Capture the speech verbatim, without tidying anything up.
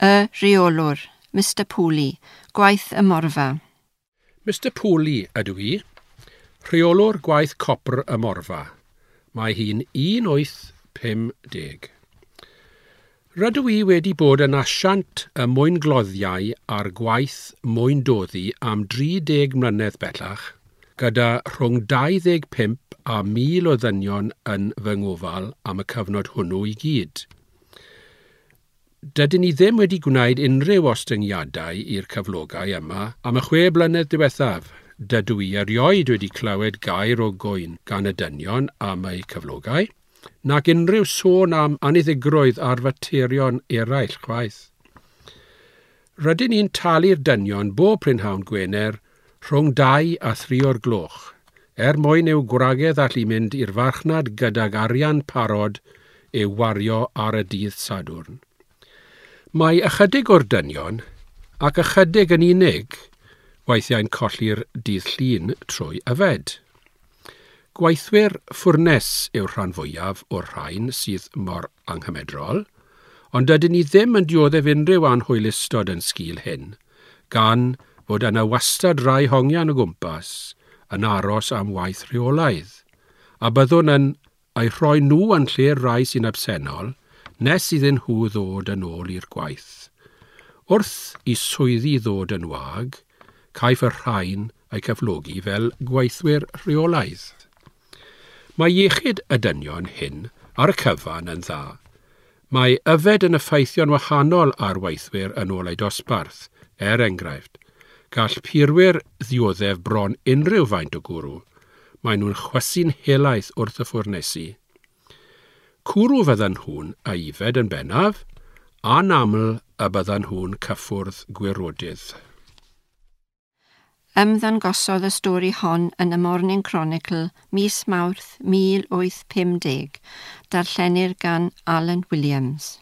Y rheolwr, Mr Pooley, gwaith y Morfa. Mr Pooley ydw i, rheolwr gwaith copr y Morfa. Mae hi'n un wyth pum deg. Rydw i wedi bod yn asiant y mwyngloddiau a'r gwaith mwyndoddi am dri deg mlynedd bellach, gyda rhwng dau ddeg pump a mil o ddynion yn fy ngofal am y cyfnod hwnnw i gyd. Dydyn ni ddim wedi gwneud unrhyw ostyngiadau i'r cyflogau yma am y chwe blynedd diwethaf. Dydw i erioed wedi clywed gair o gŵyn gan y dynion am eu cyflogau, nac unrhyw sôn am anniddigrwydd ar faterion eraill chwaith. Rydyn ni'n talu'r dynion bob prynhawn Gwener rhwng dau a thri o'r gloch, er mwyn i'w gwragedd allu mynd i'r farchnad gydag arian parod i'w wario ar y dydd Sadwrn. Mae ychydig o'r dynion, ac ychydig yn unig, weithiau'n colli'r dydd Llun trwy yfed. Gweithwyr ffwrnes yw'r rhan fwyaf o'r rhain sydd mor anghymedrol, ond dydyn ni ddim yn dioddef unrhyw anhwylustod yn sgil hyn, gan fod yna wastad rai hongian o gwmpas yn aros am waith rheolaidd, a byddwn yn eu rhoi nhw yn lle'r rai sy'n absennol nes iddyn nhw ddod yn ôl i'r gwaith. Wrth i swyddi ddod yn wag, caiff y rhain eu cyflogi fel gweithwyr rheolaidd. Mae iechyd y dynion hyn ar y cyfan yn dda. Mae yfed yn effeithio'n wahanol ar weithwyr yn ôl eu dosbarth, er enghraifft. Gall purwyr ddioddef bron unrhyw faint o gwrw. Maen nhw'n chwysu'n helaeth wrth y ffwrnesi. Cwrw fyddan nhw'n ei yfed yn bennaf, a'n aml y byddan nhw'n cyffwrdd gwirodydd. Ymddangosodd y stori hon yn y Morning Chronicle mis Mawrth mil wyth pum deg, darllenir gan Alan Williams.